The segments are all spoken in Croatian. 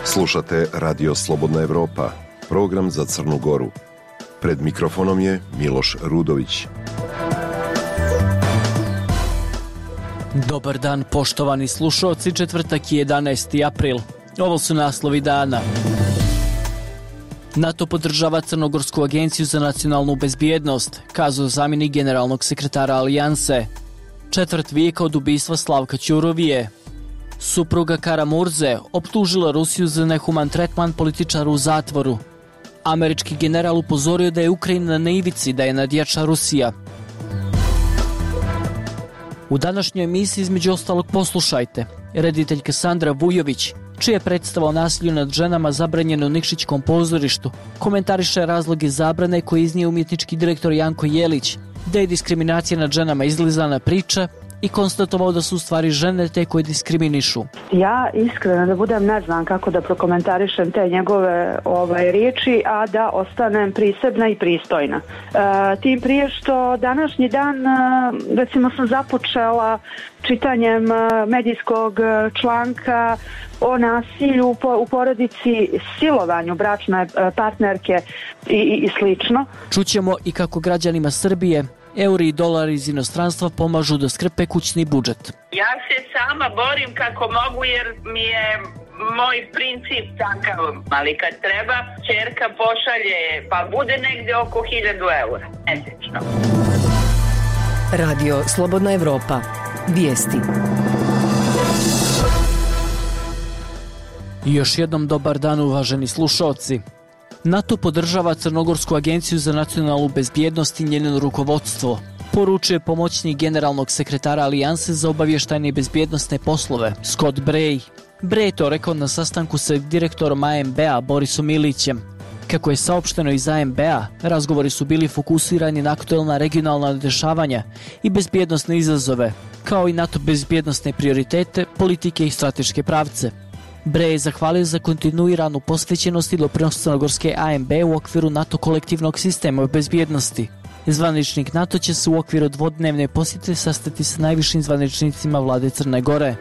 Slušate Radio Slobodna Evropa, program za Crnu Goru. Pred mikrofonom je Miloš Rudović. Dobar dan, poštovani slušalci, četvrtak je 11. april. Ovo su naslovi dana. NATO podržava Crnogorsku agenciju za nacionalnu bezbjednost, kazao zamjenik generalnog sekretara Alijanse. Četvrt vijeka od ubistva Slavka Ćurovije. Supruga Karamurze optužila Rusiju za nehuman tretman političara u zatvoru. Američki general upozorio da je Ukrajina na ivici, da je nadjača Rusija. U današnjoj emisiji između ostalog poslušajte. Rediteljka Sandra Vujović, čija je predstava o nasilju nad ženama zabranjena u Nikšićkom pozorištu, komentariše razloge zabrane koje iznio umjetnički direktor Janko Jelić, da je diskriminacija nad ženama izlizana priča i konstatovao da su u stvari žene te koje diskriminišu. Ja iskreno da budem ne znam kako da prokomentarišem te njegove riječi, a da ostanem prisebna i pristojna. Tim prije što današnji dan, recimo sam započela čitanjem medijskog članka o nasilju u porodici, silovanju bračne partnerke i slično. Čućemo i kako građanima Srbije euri i dolari iz inostranstva pomažu da skrpe kućni budžet. Ja se sama borim kako mogu jer mi je moj princip takav, ali kad treba, ćerka pošalje, pa bude negdje oko 1000 eura, mesečno. Radio Slobodna Evropa. Vijesti. I još jednom dobar dan, uvaženi slušalci. NATO podržava Crnogorsku agenciju za nacionalnu bezbjednost i njeno rukovodstvo, poručuje pomoćnik generalnog sekretara Alijanse za obavještajne i bezbjednosne poslove, Scott Bray. Bray je to rekao na sastanku sa direktorom ANB-a Borisom Ilićem. Kako je saopšteno iz ANB-a, razgovori su bili fokusirani na aktuelna regionalna dešavanja i bezbjednosne izazove, kao i NATO bezbjednosne prioritete, politike i strateške pravce. Bray je zahvalio za kontinuiranu posvećenost i doprinos Crnogorske ANB u okviru NATO kolektivnog sistema bezbjednosti. Zvaničnik NATO će se u okviru dvodnevne posjete sastati sa najvišim zvaničnicima vlade Crne Gore.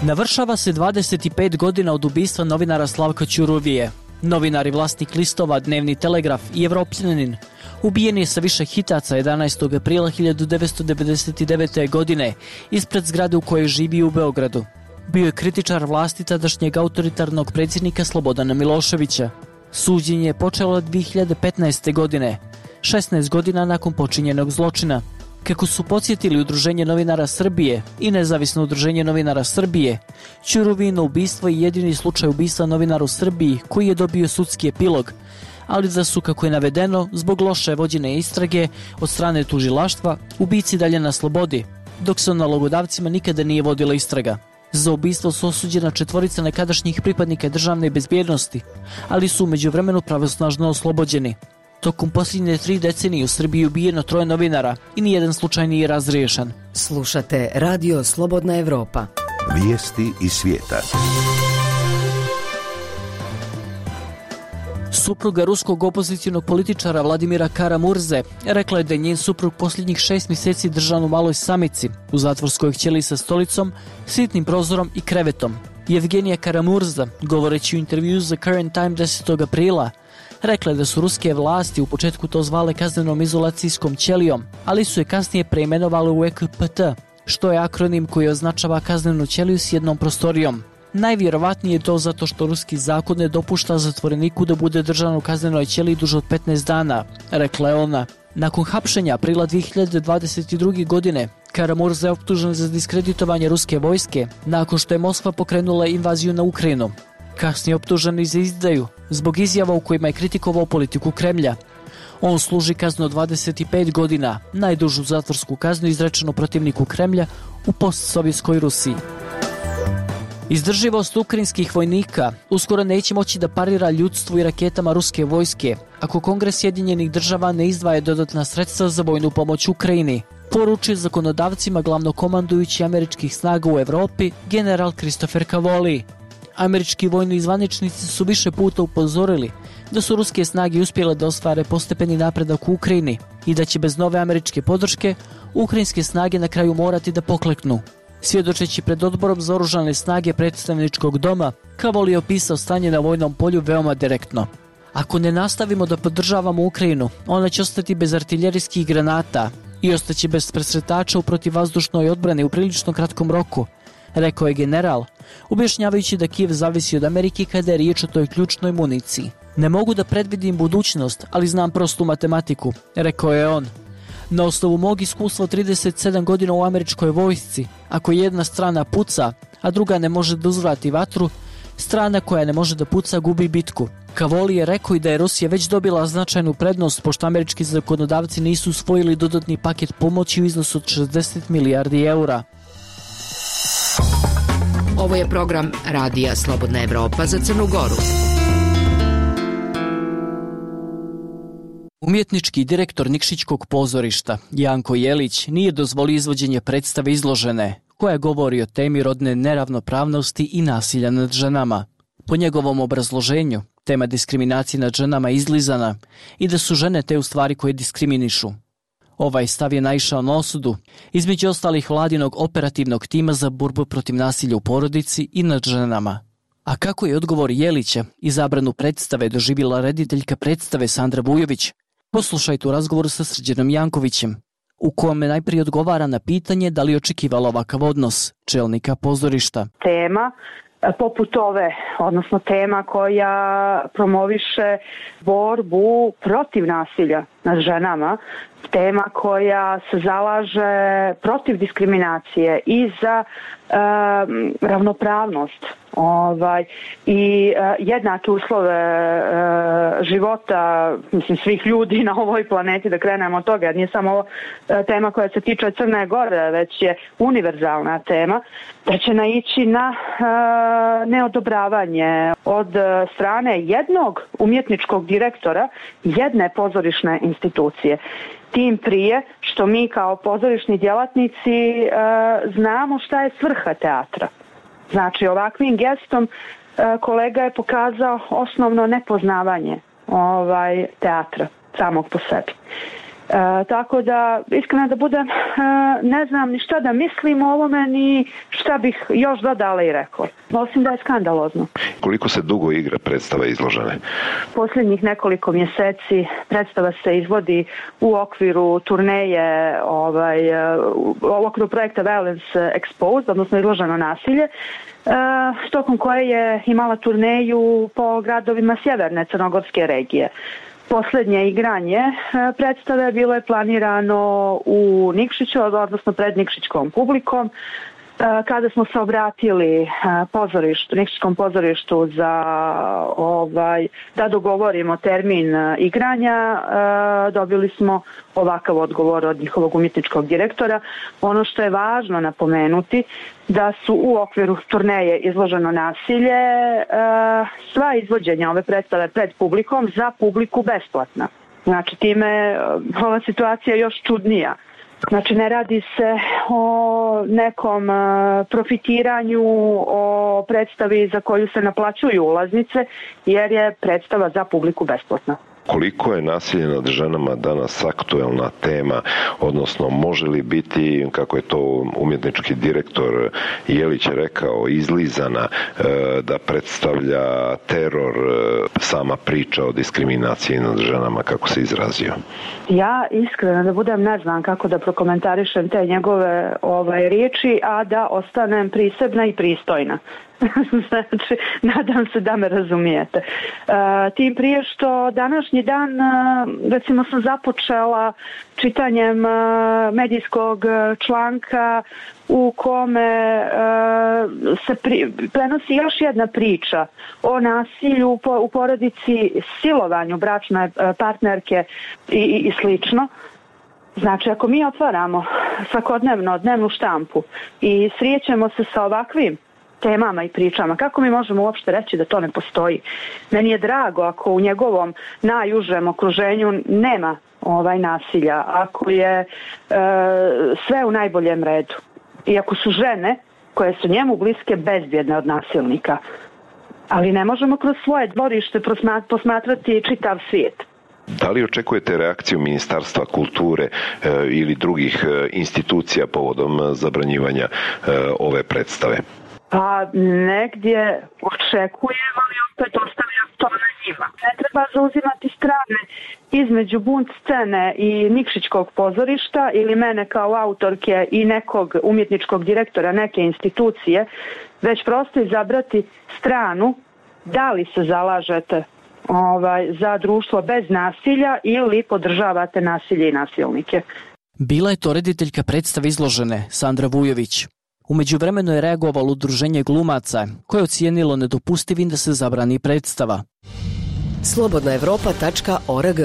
Navršava se 25 godina od ubistva novinara Slavka Ćurovije. Novinar i vlasnik listova Dnevni Telegraf i Evropljanin ubijen je sa više hitaca 11. aprila 1999. godine ispred zgrade u kojoj živi u Beogradu. Bio je kritičar vlasti tadašnjeg autoritarnog predsjednika Slobodana Miloševića. Suđenje je počelo 2015. godine, 16 godina nakon počinjenog zločina. Kako su podsjetili Udruženje novinara Srbije i Nezavisno udruženje novinara Srbije, Ćurovino ubistvo je jedini slučaj ubistva novinara u Srbiji koji je dobio sudski epilog, ali da su, kako je navedeno, zbog loše vođene istrage od strane tužilaštva, ubici dalje na slobodi, dok se o nalogodavcima nikada nije vodila istraga. Za ubistvo su osuđena 4 nekadašnjih pripadnika državne bezbjednosti, ali su u međuvremenu pravosnažno oslobođeni. Tokom posljednje 3 decenije u Srbiji ubijeno 3 novinara i nijedan slučaj nije razriješen. Slušate Radio Slobodna Evropa. Vijesti iz svijeta. Supruga ruskog opozicionog političara Vladimira Karamurze rekla je da je njen suprug posljednjih 6 mjeseci držan u maloj samici, u zatvorskoj ćeliji sa stolicom, sitnim prozorom i krevetom. Evgenija Karamurza, govoreći u intervju za Current Time 10. aprila, rekla je da su ruske vlasti u početku to zvale kaznenom izolacijskom ćelijom, ali su je kasnije preimenovali u EKPT, što je akronim koji označava kaznenu ćeliju s jednom prostorijom. Najvjerovatnije je to zato što ruski zakon ne dopušta zatvoreniku da bude držan u kaznenoj ćeliji duže od 15 dana, rekla je ona. Nakon hapšenja aprila 2022. godine, Karamurza je optužen za diskreditovanje ruske vojske nakon što je Moskva pokrenula invaziju na Ukrajinu. Kasnije optužen i za izdaju, zbog izjava u kojima je kritikovao politiku Kremlja. On služi kaznu od 25 godina, najdužu zatvorsku kaznu izrečenu protivniku Kremlja u postsovjetskoj Rusiji. Izdrživost ukrajinskih vojnika uskoro neće moći da parira ljudstvu i raketama ruske vojske ako Kongres Sjedinjenih država ne izdvaja dodatna sredstva za vojnu pomoć Ukrajini, poručuje zakonodavcima glavnokomandujući američkih snaga u Evropi general Christopher Cavoli. Američki vojni zvaničnici su više puta upozorili da su ruske snage uspjele da ostvare postepeni napredak u Ukrajini, i da će bez nove američke podrške ukrajinske snage na kraju morati da pokleknu. Svjedočeći pred odborom za oružane snage predstavničkog doma, Kavoli je opisao stanje na vojnom polju veoma direktno. Ako ne nastavimo da podržavamo Ukrajinu, ona će ostati bez artiljerijskih granata i ostaće bez presretača u protivvazdušnoj odbrani u prilično kratkom roku, rekao je general, objašnjavajući da Kijev zavisi od Amerike kada je riječ o toj ključnoj municiji. Ne mogu da predvidim budućnost, ali znam prostu matematiku, rekao je on. Na osnovu mog iskustva 37 godina u američkoj vojsci, ako jedna strana puca, a druga ne može da uzvrati vatru, strana koja ne može da puca gubi bitku. Kavoli je rekao i da je Rusija već dobila značajnu prednost pošto američki zakonodavci nisu usvojili dodatni paket pomoći u iznosu od 60 milijardi eura. Ovo je program Radija Slobodna Evropa za Crnu Goru. Umjetnički direktor Nikšićkog pozorišta, Janko Jelić, nije dozvolio izvođenje predstave Izložene, koja govori o temi rodne neravnopravnosti i nasilja nad ženama. Po njegovom obrazloženju, tema diskriminacije nad ženama je izlizana i da su žene te u stvari koje diskriminišu. Ovaj stav je naišao na osudu, između ostalih vladinog operativnog tima za borbu protiv nasilja u porodici i nad ženama. A kako je odgovor Jelića i zabranu predstave doživjela rediteljka predstave Sandra Vujović? Poslušajte u razgovoru sa Srđanom Jankovićem, u kome najprije odgovara na pitanje da li je očekivala ovakav odnos čelnika pozorišta. Tema poput ove, odnosno tema koja promoviše borbu protiv nasilja nad ženama, tema koja se zalaže protiv diskriminacije i za ravnopravnost i jednake uslove života svih ljudi na ovoj planeti, da krenemo od toga, jer nije samo ovo tema koja se tiče Crne Gore, već je univerzalna tema, da će naići na neodobravanje od strane jednog umjetničkog direktora jedne pozorišne institucije. Tim prije što mi kao pozorišni djelatnici znamo šta je svrha teatra. Znači, ovakvim gestom kolega je pokazao osnovno nepoznavanje teatra samog po sebi. Tako da, iskreno da budem, ne znam ni šta da mislim o ovome, ni šta bih još dodala i rekla. Osim da je skandalozno. Koliko se dugo igra predstava Izložene? Posljednjih nekoliko mjeseci predstava se izvodi u okviru turneje, u okviru projekta Violence Exposed, odnosno Izloženo nasilje, tokom koje je imala turneju po gradovima sjeverne crnogorske regije. Posljednje igranje predstave bilo je planirano u Nikšiću, odnosno pred nikšićkom publikom. Kada smo se obratili Nikšićkom pozorištu da dogovorimo termin igranja, dobili smo ovakav odgovor od njihovog umjetničkog direktora. Ono što je važno napomenuti, da su u okviru turneje Izloženo nasilje sva izvođenja ove predstave pred publikom za publiku besplatna. Znači, time ova situacija je još čudnija. Znači, ne radi se o nekom profitiranju, o predstavi za koju se naplaćuju ulaznice, jer je predstava za publiku besplatna. Koliko je nasilje nad ženama danas aktuelna tema, odnosno može li biti, kako je to umjetnički direktor Jelić rekao, izlizana, da predstavlja teror sama priča o diskriminaciji nad ženama, kako se izrazio? Ja iskreno da budem, ne znam kako da prokomentarišem te njegove riječi, a da ostanem prisebna i pristojna. Znači, nadam se da me razumijete. Tim prije što današnji dan, recimo, sam započela čitanjem medijskog članka u kome se prenosi još jedna priča o nasilju u porodici, silovanju bračne partnerke i slično. Znači, ako mi otvaramo svakodnevno dnevnu štampu i srijećemo se sa ovakvim temama i pričama, kako mi možemo uopšte reći da to ne postoji? Meni je drago ako u njegovom najužem okruženju nema nasilja, ako je sve u najboljem redu i ako su žene koje su njemu bliske bezbjedne od nasilnika. Ali ne možemo kroz svoje dvorište posmatrati čitav svijet. Da li očekujete reakciju Ministarstva kulture ili drugih institucija povodom zabranjivanja ove predstave? Pa negdje očekujem, ali opet ostavljam to na njima. Ne treba zauzimati strane između bunt scene i Nikšićkog pozorišta ili mene kao autorke i nekog umjetničkog direktora neke institucije, već prosto izabrati stranu da li se zalažete za društvo bez nasilja ili podržavate nasilje i nasilnike. Bila je to rediteljka predstave izložene, Sandra Vujović. U međuvremenu je reagovalo udruženje glumaca, koje je ocijenilo nedopustivim da se zabrani predstava. slobodnaevropa.org.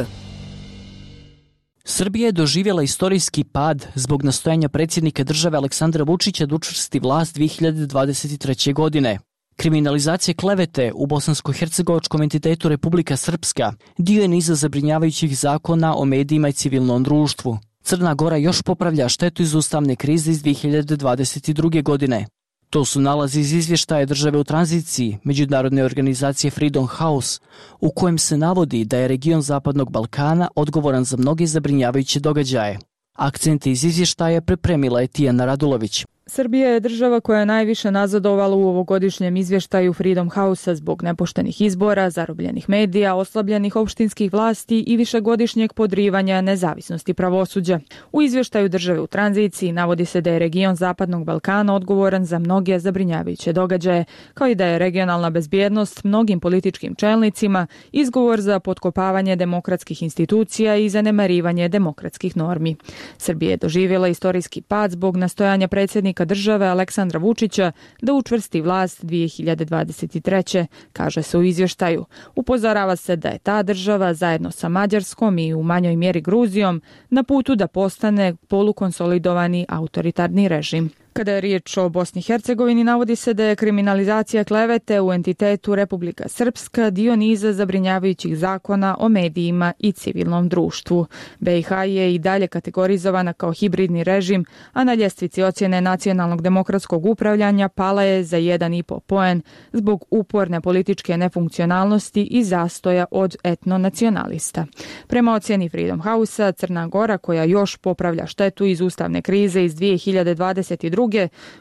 Srbija je doživjela istorijski pad zbog nastojanja predsjednika države Aleksandra Vučića da učvrsti vlast 2023. godine. Kriminalizacija klevete u bosansko-hercegovačkom entitetu Republika Srpska dio je niza zabrinjavajućih zakona o medijima i civilnom društvu. Crna Gora još popravlja štetu iz ustavne krize iz 2022. godine. To su nalazi iz izvještaja države u tranziciji međunarodne organizacije Freedom House, u kojem se navodi da je region Zapadnog Balkana odgovoran za mnoge zabrinjavajuće događaje. Akcente iz izvještaja pripremila je Tijana Radulović. Srbija je država koja je najviše nazadovala u ovogodišnjem izvještaju Freedom House-a zbog nepoštenih izbora, zarobljenih medija, oslabljenih opštinskih vlasti i višegodišnjeg podrivanja nezavisnosti pravosuđa. U izvještaju države u tranziciji navodi se da je region Zapadnog Balkana odgovoran za mnoge zabrinjavajuće događaje, kao i da je regionalna bezbjednost mnogim političkim čelnicima izgovor za potkopavanje demokratskih institucija i zanemarivanje demokratskih normi. Srbija je doživjela istorijski pad zbog nastojanja predsjednika države Aleksandra Vučića da učvrsti vlast 2023. kaže se u izvještaju. Upozorava se da je ta država zajedno sa Mađarskom i u manjoj mjeri Gruzijom na putu da postane polukonsolidovani autoritarni režim. Kada je riječ o Bosni i Hercegovini, navodi se da je kriminalizacija klevete u entitetu Republika Srpska dio niza zabrinjavajućih zakona o medijima i civilnom društvu. BiH je i dalje kategorizovana kao hibridni režim, a na ljestvici ocjene nacionalnog demokratskog upravljanja pala je za 1,5 poen zbog uporne političke nefunkcionalnosti i zastoja od etnonacionalista. Prema ocjeni Freedom House-a, Crna Gora, koja još popravlja štetu iz ustavne krize iz 2022.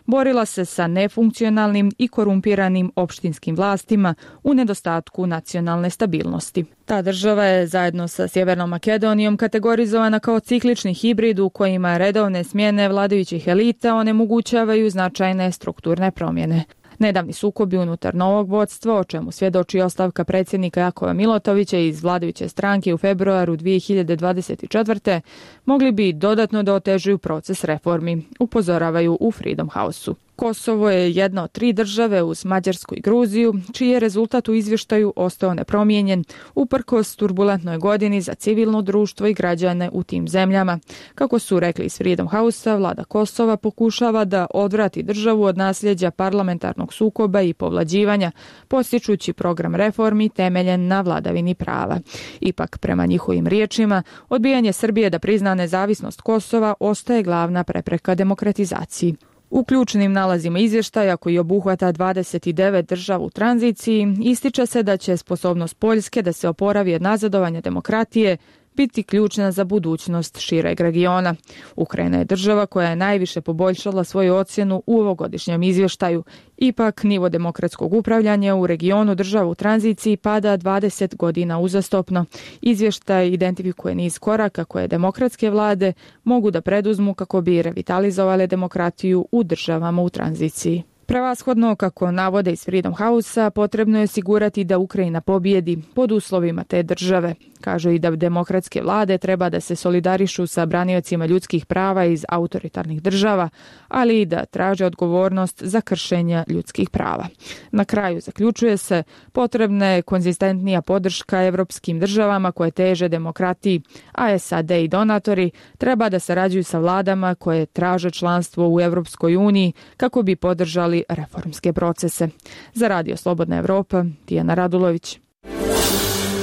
borila se sa nefunkcionalnim i korumpiranim opštinskim vlastima u nedostatku nacionalne stabilnosti. Ta država je zajedno sa Sjevernom Makedonijom kategorizovana kao ciklični hibrid u kojima redovne smjene vladajućih elita onemogućavaju značajne strukturne promjene. Nedavni sukobi unutar novog vodstva, o čemu svjedoči ostavka predsjednika Jakova Milotovića iz vladajuće stranke u februaru 2024. mogli bi dodatno da otežuju proces reformi, upozoravaju u Freedom House-u. Kosovo je jedna od 3 države uz Mađarsku i Gruziju, čiji je rezultat u izvještaju ostao nepromijenjen, uprkos turbulentnoj godini za civilno društvo i građane u tim zemljama. Kako su rekli iz Freedom House-a, vlada Kosova pokušava da odvrati državu od nasljeđa parlamentarnog sukoba i povlađivanja, postičući program reformi temeljen na vladavini prava. Ipak, prema njihovim riječima, odbijanje Srbije da prizna nezavisnost Kosova ostaje glavna prepreka demokratizaciji. U ključnim nalazima izvještaja, koji obuhvata 29 država u tranziciji, ističe se da će sposobnost Poljske da se oporavi od nazadovanja demokratije biti ključna za budućnost šireg regiona. Ukrajina je država koja je najviše poboljšala svoju ocjenu u ovogodišnjem izvještaju. Ipak, nivo demokratskog upravljanja u regionu država u tranziciji pada 20 godina uzastopno. Izvještaj identifikuje niz koraka koje demokratske vlade mogu da preduzmu kako bi revitalizovale demokratiju u državama u tranziciji. Prevashodno, kako navode iz Freedom House-a, potrebno je osigurati da Ukrajina pobjedi pod uslovima te države. Kažu i da demokratske vlade treba da se solidarišu sa braniocima ljudskih prava iz autoritarnih država, ali i da traže odgovornost za kršenja ljudskih prava. Na kraju zaključuje se, potrebna je konzistentnija podrška evropskim državama koje teže demokratiji, a SAD i donatori treba da sarađuju sa vladama koje traže članstvo u Evropskoj uniji kako bi podržali reformske procese. Za Radio Slobodna Evropa, Tijana Radulović.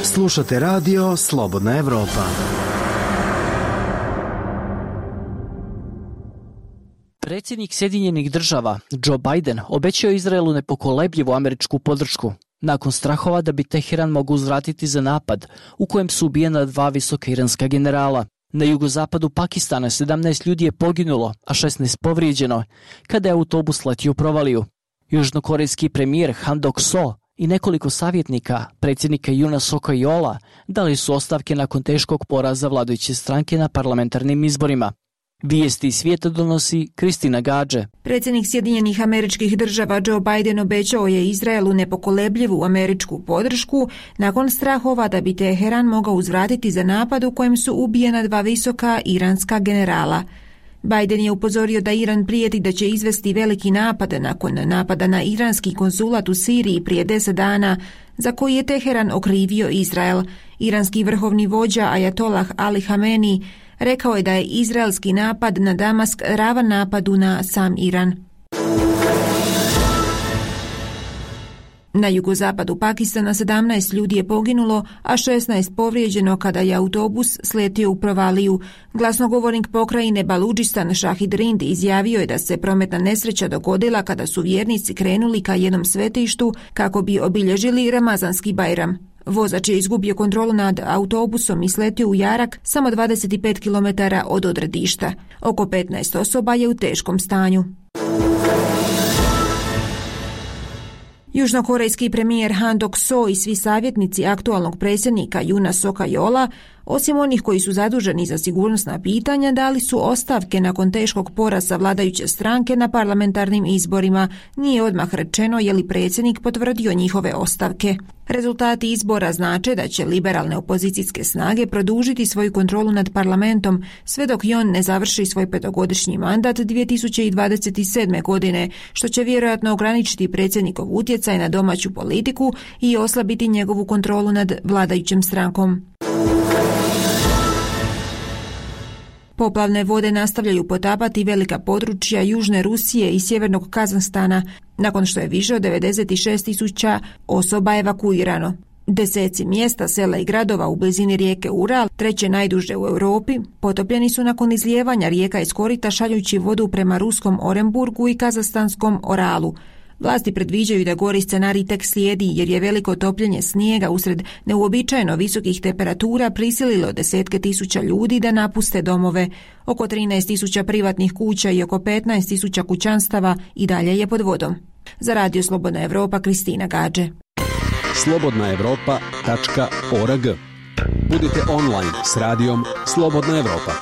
Slušate radio Slobodna Evropa. Predsjednik Sjedinjenih država, Joe Biden, obećao Izraelu nepokolebljivu američku podršku. nakon strahova da bi Teheran mogao uzvratiti za napad u kojem su ubijena 2 visoka iranska generala. Na jugozapadu Pakistana 17 ljudi je poginulo, a 16 povrijeđeno, kada je autobus letio u provaliju. Južnokorejski premijer Han Dok-so i nekoliko savjetnika predsjednika Yoona Suk-yeola dali su ostavke nakon teškog poraza vladajuće stranke na parlamentarnim izborima. Vijesti iz svijeta donosi Kristina Gađe. Predsjednik Sjedinjenih Američkih Država Joe Biden obećao je Izraelu nepokolebljivu američku podršku nakon strahova da bi Teheran mogao uzvratiti za napad u kojem su ubijena 2 visoka iranska generala. Biden je upozorio da Iran prijeti da će izvesti veliki napad nakon napada na iranski konzulat u Siriji prije 10 dana, za koji je Teheran okrivio Izrael. Iranski vrhovni vođa Ajatollah Ali Hamenei rekao je da je izraelski napad na Damask ravan napadu na sam Iran. Na jugozapadu Pakistana 17 ljudi je poginulo, a 16 povrijeđeno kada je autobus sletio u provaliju. Glasnogovornik pokrajine Baludžistan Šahid Rind izjavio je da se prometna nesreća dogodila kada su vjernici krenuli ka jednom svetištu kako bi obilježili Ramazanski Bajram. Vozač je izgubio kontrolu nad autobusom i sletio u jarak samo 25 km od odredišta. Oko 15 osoba je u teškom stanju. Južnokorejski premijer Han Dok-so i svi savjetnici aktualnog predsjednika Yoona Suk-yeola, osim onih koji su zaduženi za sigurnosna pitanja, dali su ostavke nakon teškog poraza vladajuće stranke na parlamentarnim izborima. Nije odmah rečeno je li predsjednik potvrdio njihove ostavke. Rezultati izbora znače da će liberalne opozicijske snage produžiti svoju kontrolu nad parlamentom sve dok i on ne završi svoj 5-godišnji mandat 2027. godine, što će vjerojatno ograničiti predsjednikov utjecaj na domaću politiku i oslabiti njegovu kontrolu nad vladajućim strankom. Poplavne vode nastavljaju potapati velika područja južne Rusije i sjevernog Kazahstana, nakon što je više od 96.000 osoba evakuirano. Deseci mjesta, sela i gradova u blizini rijeke Ural, treće najduže u Europi, potopljeni su nakon izlijevanja rijeka iz korita šaljući vodu prema ruskom Orenburgu i kazahstanskom Oralu. Vlasti predviđaju da gori scenarij tek slijedi jer je veliko topljenje snijega usred neuobičajeno visokih temperatura prisililo desetke tisuća ljudi da napuste domove. Oko 13.000 privatnih kuća i oko 15.000 kućanstava i dalje je pod vodom. Za Radio Slobodna Evropa, Kristina Gađe. slobodnaevropa.org. Budite online s radijom Slobodna Evropa.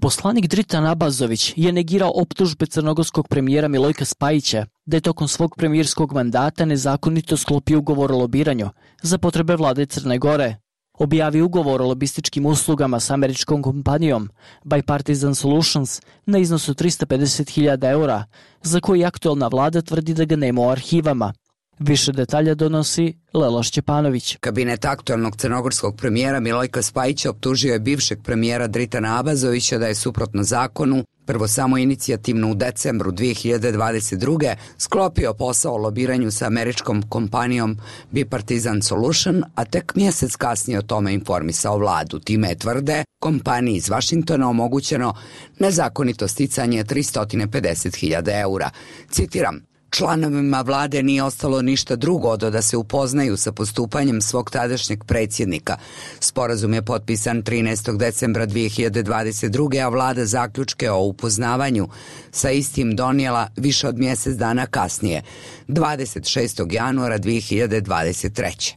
Poslanik Dritan Abazović je negirao optužbe crnogorskog premijera Milojka Spajića da je tokom svog premijerskog mandata nezakonito sklopio ugovor o lobiranju za potrebe vlade Crne Gore. Objavio ugovor o lobističkim uslugama s američkom kompanijom Bipartisan Solutions na iznosu 350.000 eura, za koji aktualna vlada tvrdi da ga nema u arhivama. Više detalja donosi Lela Šćepanović. Kabinet aktualnog crnogorskog premijera Milojka Spajića optužio je bivšeg premijera Dritana Abazovića da je suprotno zakonu, prvo samo inicijativno u decembru 2022. sklopio posao o lobiranju sa američkom kompanijom Bipartisan Solution, a tek mjesec kasnije o tome informisao vladu. Time je, tvrde, kompaniji iz Vašingtona omogućeno nezakonito sticanje 350.000 eura. Citiram: članovima vlade nije ostalo ništa drugo do da se upoznaju sa postupanjem svog tadašnjeg predsjednika. Sporazum je potpisan 13. decembra 2022. a vlada zaključke o upoznavanju sa istim donijela više od mjesec dana kasnije, 26. januara 2023.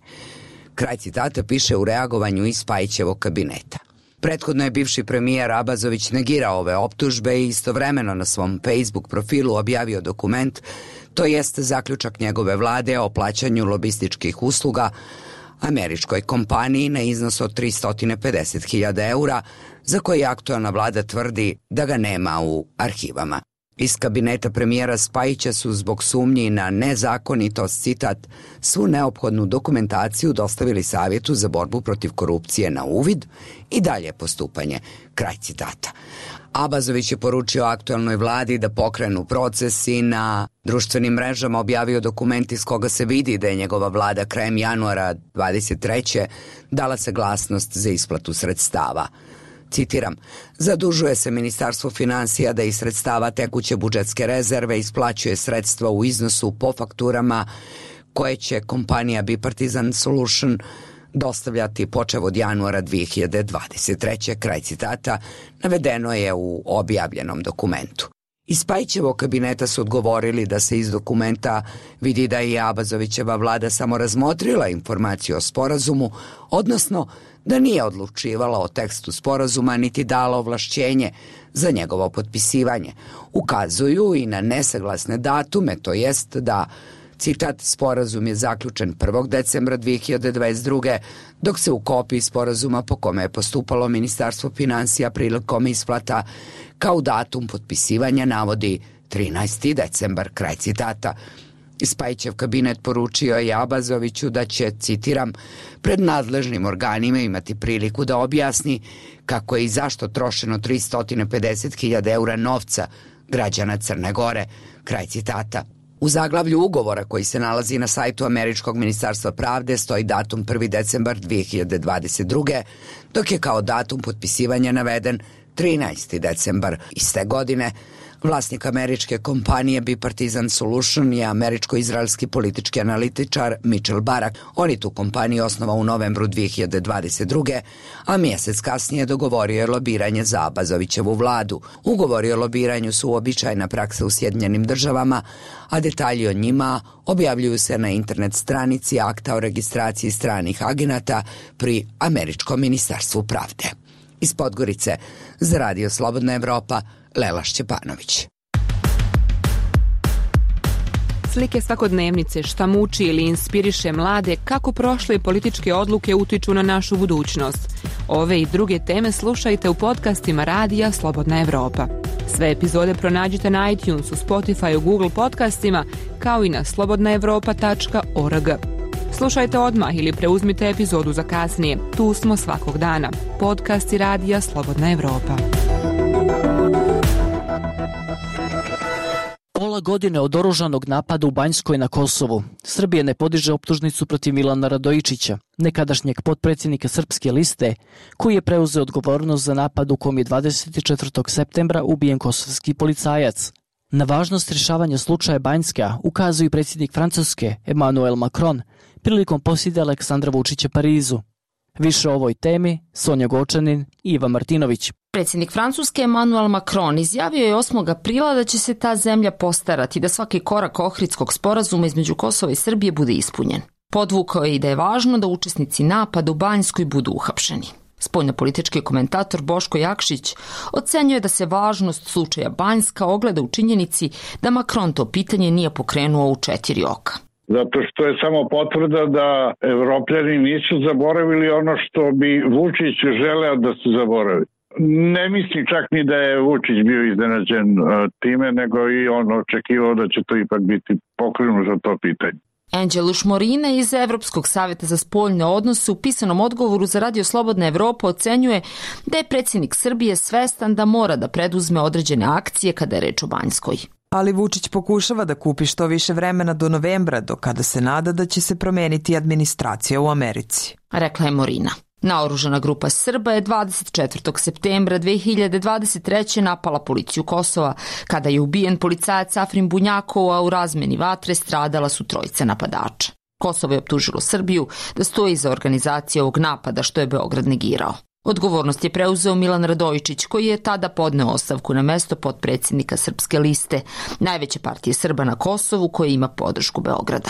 Kraj citata piše u reagovanju iz Spajićevog kabineta. Prethodno je bivši premijer Abazović negirao ove optužbe i istovremeno na svom Facebook profilu objavio dokument, to jest zaključak njegove vlade o plaćanju lobističkih usluga američkoj kompaniji na iznos od 350.000 eura, za koji aktualna vlada tvrdi da ga nema u arhivama. Iz kabineta premijera Spajića su zbog sumnji na nezakonitost, citat, svu neophodnu dokumentaciju dostavili Savjetu za borbu protiv korupcije na uvid i dalje postupanje. Kraj citata. Abazović je poručio aktualnoj vladi da pokrenu proces i na društvenim mrežama objavio dokument iz koga se vidi da je njegova vlada krajem januara 23. dala saglasnost za isplatu sredstava. Citiram: zadužuje se Ministarstvo financija da iz sredstava tekuće budžetske rezerve isplaćuje sredstva u iznosu po fakturama koje će kompanija Bipartisan Solution dostavljati počev od januara 2023. Kraj citata, navedeno je u objavljenom dokumentu. Iz Spajićevog kabineta su odgovorili da se iz dokumenta vidi da je Abazovićeva vlada samo razmotrila informaciju o sporazumu, odnosno da nije odlučivala o tekstu sporazuma niti dala ovlašćenje za njegovo potpisivanje. Ukazuju i na nesaglasne datume, to jest da, citat, sporazum je zaključen 1. decembra 2022. dok se u kopiji sporazuma po kome je postupalo Ministarstvo finansija prilikom isplata kao datum potpisivanja navodi 13. decembar, kraj citata. Spajićev kabinet poručio je Abazoviću da će, citiram, pred nadležnim organima imati priliku da objasni kako je i zašto trošeno 350.000 eura novca građana Crne Gore, kraj citata. U zaglavlju ugovora koji se nalazi na sajtu Američkog ministarstva pravde stoji datum 1. decembar 2022. dok je kao datum potpisivanja naveden 13. decembar iste godine. Vlasnik američke kompanije Bipartisan Solution je američko-izraelski politički analitičar Mitchell Barak. On je tu kompaniju osnovao u novembru 2022. a mjesec kasnije dogovorio je lobiranje za Abazovićevu vladu. Ugovori o lobiranju su uobičajena praksa u Sjedinjenim državama, a detalji o njima objavljuju se na internet stranici akta o registraciji stranih agenata pri Američkom ministarstvu pravde. Iz Podgorice za Radio Slobodna Evropa, Lela Šćepanović. Slike svakodnevnice, šta muči ili inspiriše mlade, kako prošle političke odluke utiču na našu budućnost. Ove i druge teme slušajte u podcastima Radija Slobodna Evropa. Sve epizode pronađite na iTunesu, Spotify, Google podcastima, kao i na slobodnaevropa.org. Slušajte odmah ili preuzmite epizodu za kasnije. Tu smo svakog dana. Podcasti Radija Slobodna Evropa. Pola godine od oružanog napada u Banjskoj na Kosovu. Srbija ne podiže optužnicu protiv Milana Radojičića, nekadašnjeg potpredsjednika Srpske liste, koji je preuzeo odgovornost za napad u kom je 24. septembra ubijen kosovski policajac. Na važnost rješavanja slučaja Banjska ukazuje predsjednik Francuske Emmanuel Macron prilikom posjete Aleksandra Vučića Parizu. Više o ovoj temi Sonja Gočanin i Iva Martinović. Predsjednik Francuske Emmanuel Macron izjavio je 8. aprila da će se ta zemlja postarati da svaki korak Ohridskog sporazuma između Kosova i Srbije bude ispunjen. Podvukao je i da je važno da učesnici napada u Banjskoj budu uhapšeni. Spoljnopolitički komentator Boško Jakšić ocenjuje da se važnost slučaja Banjska ogleda u činjenici da Macron to pitanje nije pokrenuo u 4 oka. Zato što je samo potvrda da Evropljani nisu zaboravili ono što bi Vučić želeo da se zaboravi. Ne mislim čak ni da je Vučić bio iznenađen time, nego i on očekivao da će to ipak biti pokrenuto za to pitanje. Anđelo Šmorina iz Evropskog savjeta za spoljne odnose u pisanom odgovoru za Radio Slobodna Evropa ocenjuje da je predsjednik Srbije svestan da mora da preduzme određene akcije kada je reč o Banjskoj. Ali Vučić pokušava da kupi što više vremena do novembra, do kada se nada da će se promeniti administracija u Americi. Rekla je Morina. Naoružana grupa Srba je 24. septembra 2023. napala policiju Kosova. Kada je ubijen policajac Afrin Bunjakov, a u razmeni vatre stradala su 3 napadača. Kosovo je optužilo Srbiju da stoji iza organizacije ovog napada, što je Beograd negirao. Odgovornost je preuzeo Milan Radojičić, koji je tada podneo ostavku na mesto potpredsjednika Srpske liste, najveće partije Srba na Kosovu koja ima podršku Beograda.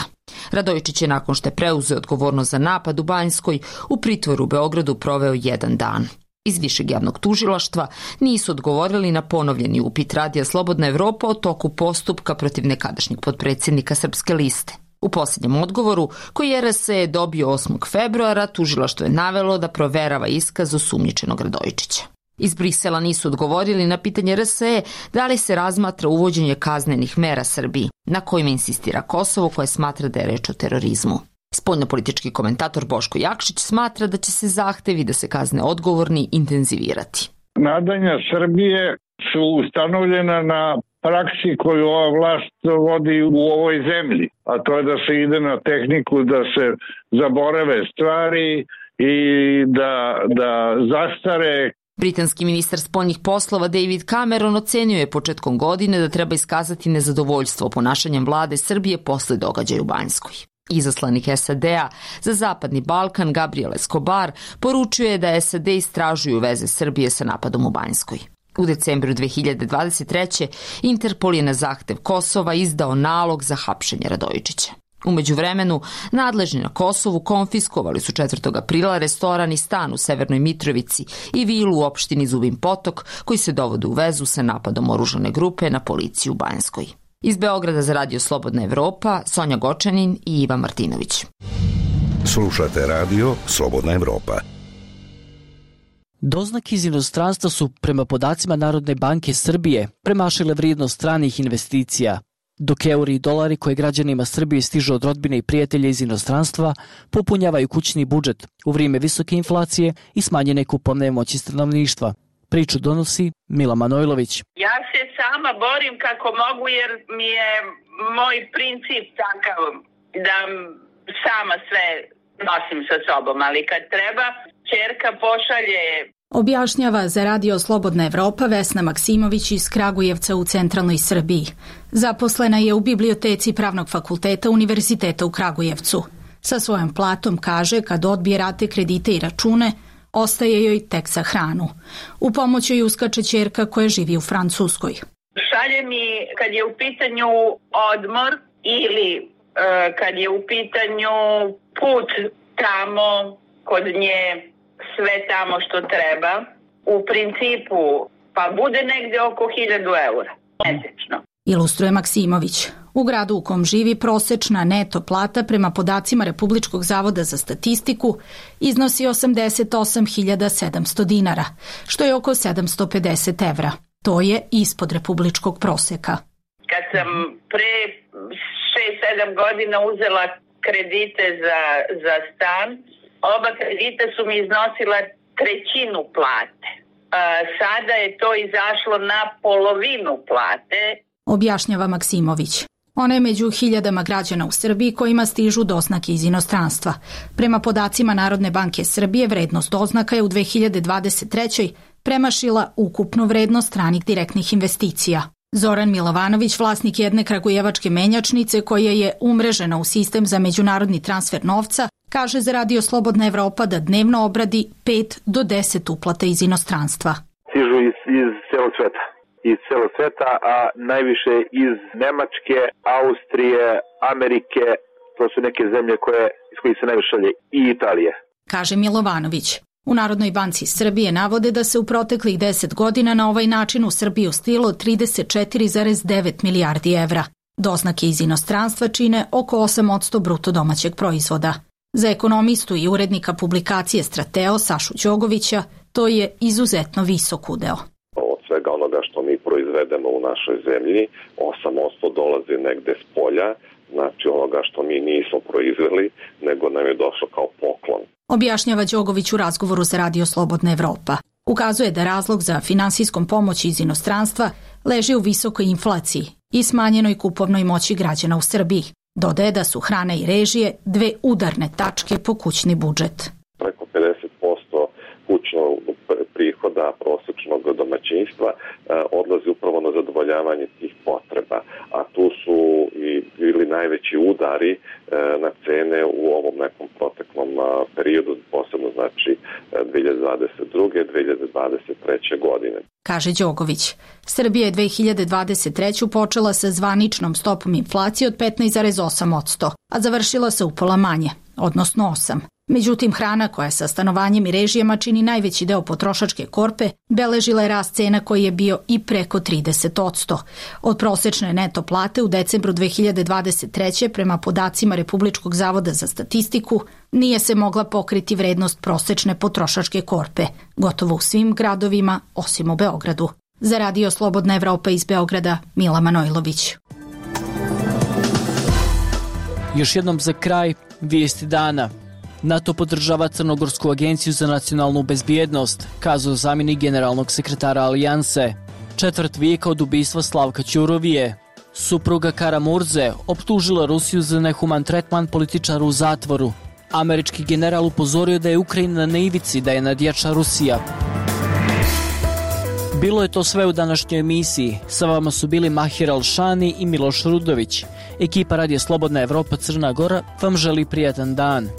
Radojičić je nakon što je preuzeo odgovornost za napad u Banjskoj u pritvoru u Beogradu proveo 1 dan. Iz Višeg javnog tužilaštva nisu odgovorili na ponovljeni upit Radija Slobodna Evropa o toku postupka protiv nekadašnjeg potpredsjednika Srpske liste. U posljednjem odgovoru, koji je RSE dobio 8. februara, tužilaštvo je navelo da proverava iskaz osumnjičenog Radojičića. Iz Brisela nisu odgovorili na pitanje RSE da li se razmatra uvođenje kaznenih mera Srbiji, na kojima insistira Kosovo, koje smatra da je reč o terorizmu. Spoljnopolitički komentator Boško Jakšić smatra da će se zahtevi da se kazne odgovorni intenzivirati. Nadanja Srbije su ustanovljena na praksi koju ova vlast vodi u ovoj zemlji, a to je da se ide na tehniku da se zaborave stvari i da zastare. Britanski ministar spoljnih poslova David Cameron ocenio je početkom godine da treba iskazati nezadovoljstvo ponašanjem vlade Srbije posle događaja u Banjskoj. Izaslanik SAD-a za Zapadni Balkan Gabriel Escobar poručio je da SAD istražuju veze Srbije sa napadom u Banjskoj. U decembru 2023. Interpol je na zahtev Kosova izdao nalog za hapšenje Radojičića. U međuvremenu, nadležni na Kosovu konfiskovali su 4. aprila restoran i stan u Severnoj Mitrovici i vilu u opštini Zubin Potok, koji se dovode u vezu sa napadom oružane grupe na policiju u Banjskoj. Iz Beograda za Radio Slobodna Evropa, Sonja Gočanin i Ivan Martinović. Slušate Radio Slobodna Evropa. Doznake iz inostranstva su, prema podacima Narodne banke Srbije, premašile vrijednost stranih investicija, dok euri i dolari koje građanima Srbije stižu od rodbine i prijatelja iz inostranstva popunjavaju kućni budžet u vrijeme visoke inflacije i smanjene kupovne moći stanovništva. Priču donosi Mila Manojlović. Ja se sama borim kako mogu jer mi je moj princip takav da sama sve nosim sa sobom, ali kad treba, ćerka pošalje. Objašnjava za Radio Slobodna Evropa Vesna Maksimović iz Kragujevca u centralnoj Srbiji. Zaposlena je u biblioteci Pravnog fakulteta Univerziteta u Kragujevcu. Sa svojom platom, kaže, kad odbije rate kredite i račune, ostaje joj tek za hranu. U pomoć joj uskače ćerka koja živi u Francuskoj. Šalje mi kad je u pitanju odmor ili kad je u pitanju put tamo kod nje, sve tamo što treba. U principu pa bude negdje oko 1.000 eura mesečno. Ilustruje Maksimović. U gradu u kom živi prosečna neto plata prema podacima Republičkog zavoda za statistiku iznosi 88.700 dinara, što je oko 750 evra. To je ispod republičkog proseka. Kad sam pre 6-7 godina uzela kredite za stan, oba kredita su mi iznosila 1/3 plate. Sada je to izašlo na polovinu plate. Objašnjava Maksimović. Ona je među hiljadama građana u Srbiji kojima stižu doznake iz inostranstva. Prema podacima Narodne banke Srbije, vrednost doznaka je u 2023. premašila ukupnu vrednost stranih direktnih investicija. Zoran Milovanović, vlasnik jedne kragujevačke menjačnice koja je umrežena u sistem za međunarodni transfer novca, kaže za Radio Slobodna Evropa da dnevno obradi 5 do 10 uplata iz inostranstva. Stižu iz celog sveta. Iz celog sveta, a najviše iz Nemačke, Austrije, Amerike, to su neke zemlje iz kojih se najviše šalje, i Italije. Kaže Milovanović. U Narodnoj banci Srbije navode da se u proteklih 10 godina na ovaj način u Srbiju stilo 34,9 milijardi evra. Doznake iz inostranstva čine oko 8% bruto domaćeg proizvoda. Za ekonomistu i urednika publikacije Strateo Sašu Đogovića to je izuzetno visok udeo. Od svega onoga što mi proizvedemo u našoj zemlji, 8% dolazi negde s polja, znači onoga što mi nismo proizveli, nego nam je došlo kao poklon. Objašnjava Đogović u razgovoru za Radio Slobodna Evropa. Ukazuje da razlog za finansijskom pomoći iz inostranstva leži u visokoj inflaciji i smanjenoj kupovnoj moći građana u Srbiji. Dodaje da su hrana i režije dve udarne tačke po kućni budžet. Preko 50% kućnog prihoda prosječnog domaćinstva odlazi upravo na zadovoljavanje tih potreba, a tu su i bili najveći udari na cene u ovom nekom proteklom periodu, posebno znači 2022. 2023. godine. Kaže Đogović, Srbija je 2023. počela sa zvaničnom stopom inflacije od 15,8%, a završila se upola manje, odnosno 8%. Međutim, hrana koja sa stanovanjem i režijama čini najveći deo potrošačke korpe, beležila je rast cena koji je bio i preko 30%. Od prosečne neto plate u decembru 2023. prema podacima Republičkog zavoda za statistiku nije se mogla pokriti vrednost prosečne potrošačke korpe, gotovo u svim gradovima osim u Beogradu. Za Radio Slobodna Evropa iz Beograda, Mila Manojlović. Još jednom za kraj, vijesti dana. NATO podržava Crnogorsku agenciju za nacionalnu bezbjednost, kazao zamjenik generalnog sekretara Alijanse. 1/4 vijeka od ubistva Slavka Ćurovije. Supruga Karamurze optužila Rusiju za nehuman tretman političara u zatvoru. Američki general upozorio da je Ukrajina na ivici da je nadjača Rusija. Bilo je to sve u današnjoj emisiji. Sa vama su bili Mahir Alšani i Miloš Rudović. Ekipa Radija Slobodna Evropa Crna Gora vam želi prijatan dan.